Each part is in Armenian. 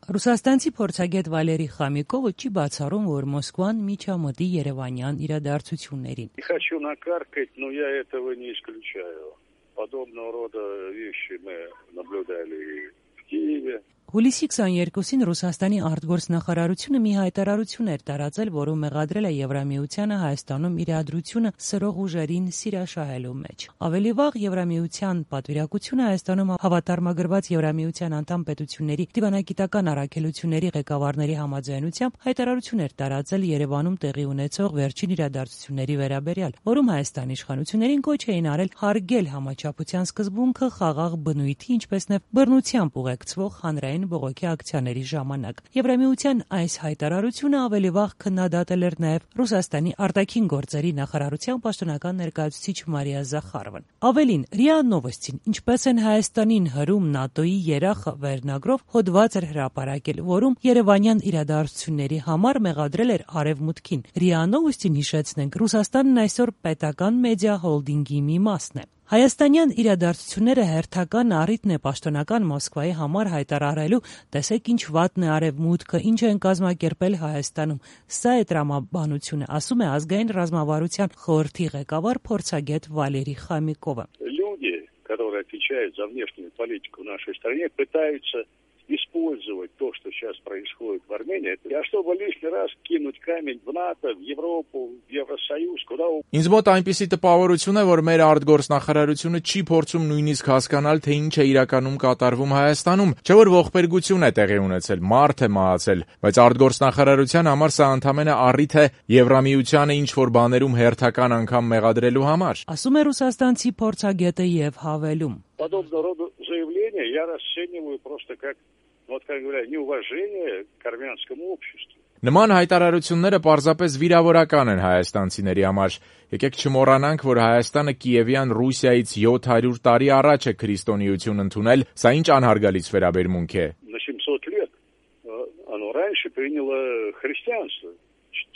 Ռուսաստանցի փորձագետ Վալերի Խամիկովը չի բացառում, որ Մոսկվան միջամտի երևանյան իրադարձություններին։ Хочу накаркать, но я этого не исключаю. Подобного рода вещи мы наблюдали в Киеве. Հուլիսի 22-ին Ռուսաստանի արտգործնախարարությունը մի հայտարարություն էր տարածել, որում մեղադրել է Եվրամիությանը Հայաստանում իրադրությունը սրող ուժերին սիրաշահելու մեջ։ Ավելի վաղ Եվրամիության պատվիրակությունը Հայաստանում հավատարմագրված Եվրամիության անդամ պետությունների դիվանագիտական առաքելությունների ղեկավարների համաձայնությամբ հայտարարություն էր տարածել Երևանում տեղի ունեցող վերջին իրադարձությունների վերաբերյալ, որում Հայաստանի իշխանություններին կոչ էին արել հարգել համաչափության սկզբունքը խաղաղ բնույթի, ինչպես նաև բռնությամբ ուղեկցվող հանրային բողոքի ակցիաների ժամանակ։ Եվրամիության այս հայտարարությունը ավելի վաղ քննադատել էր նաև Ռուսաստանի արտաքին գործերի նախարարության պաշտոնական ներկայացուցիչ Մարիա Զախարովան։ Ավելին, ՌԻԱ Նովոստին, ինչպես են Հայաստանին հրում ՆԱՏՕ-ի երախը վերնագրով հոդված էր հրապարակել, որում երևանյան իրադարձությունների համար մեղադրել էր Արևմուտքին։ ՌԻԱ Նովոստին, հիշեցնենք, Ռուսաստանն այսօր պետական մեդիա հոլդինգի մի մասն է։ Հայաստանյան իրադարձությունները հերթական առիթն է պաշտոնական Մոսկվայի համար հայտարարելու, տեսեք ինչ վատն է Արևմուտքը, ինչ են կազմակերպել Հայաստանում։ Սա է տրամաբանությունը, ասում է ազգային ռազմավարության խորհրդի ղեկավար փորձագետ Վալերի Խամիկովը։ Люди, которые отвечают за внешнюю политику в нашей стране, пытаются использовать то, что сейчас происходит в Армении, чтобы лишний раз кинуть камень в НАТО, в Европу, в Евросоюз, куда угодно. Ինձ մոտ այնպիսի տպավորություն է, որ մեր արտգործնախարարությունը չի փորձում նույնիսկ հասկանալ, թե ինչ է իրականում կատարվում Հայաստանում, չէ՞ որ ողբերգություն է տեղի ունեցել, մարդ է մահացել, բայց արտգործնախարարության համար սա ընդամենը առիթ է Եվրամիությանը ինչ-որ բաներում հերթական անգամ մեղադրելու համար։ Ասում է ռուսաստանցի փորձագետը եւ հավելում. Подобного рода заявления я расцениваю просто как, вот как говорят, неуважение к армянскому обществу. Նման հայտարարությունները պարզապես վիրավորական են հայաստանցիների համար։ Եկեք չմոռանանք, որ Հայաստանը Կիևյան Ռուսիայից 700 տարի առաջ է քրիստոնեություն ընդունել, սա ինչ անհարգալից վերաբերմունք է։ На 700 лет оно раньше приняло христианство,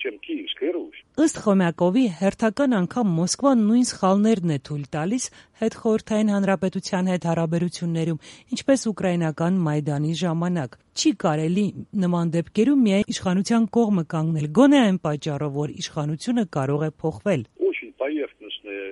чем Киевская Русь. Ըստ Խոմյակովի, հերթական անգամ Մոսկվան նույն սխալներն է թույլ տալիս հետխորհրդային հանրապետության հետ հարաբերություններում, ինչպես ուկրաինական Մայդանի ժամանակ։ Չի կարելի նման դեպքերում միայն իշխանության կողմը կանգնել, գոնե այն պատճառով, որ իշխանությունը կարող է փոխվել։ Очень поверхностная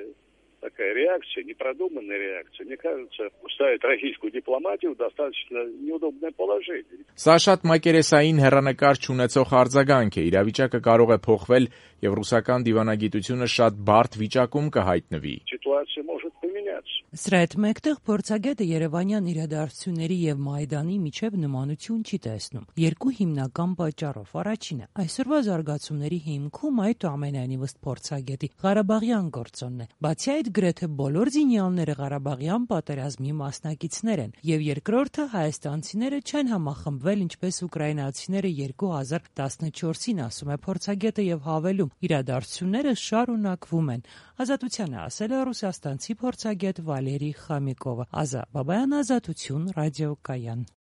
такая реакция, непродуманная реакция, мне кажется, ставит российскую дипломатию в достаточно неудобное положение. Սա շատ մակերեսային հեռանկար չունեցող արձագանք է, իրավիճակը կարող է փոխվել եւ ռուսական դիվանագիտությունը շատ բարդ վիճակում կհայտնվի։ Ситуация может поменяться. Սրա հետ մեկտեղ փորձագետը երևանյան իրադարձությունների եւ Մայդանի միջև նմանություն չի տեսնում։ Երկու հիմնական պատճառով։ Առաջինը, այսօրվա զարգացումների հիմքում այդուամենայնիվ ըստ փորձագետի Ղարաբաղյան գործոնն է։ Բացի այդ, գրեթե բոլոր զինյալները Ղարաբաղյան պատերազմի մասնակիցներ են, եւ երկրորդը հայաստանցիները չեն համախմբվել ինչպես ուկրաինացիները 2014-ին, ասում է փորձագետը եւ հավելում. իրադարձությունները շարունակվում են։ Ազատությանը ասել է ռուսաստանցի փորձագետ Վալերի Խամիկովը։ Ազա Բաբայան, Ազատություն, ռադիոկայան։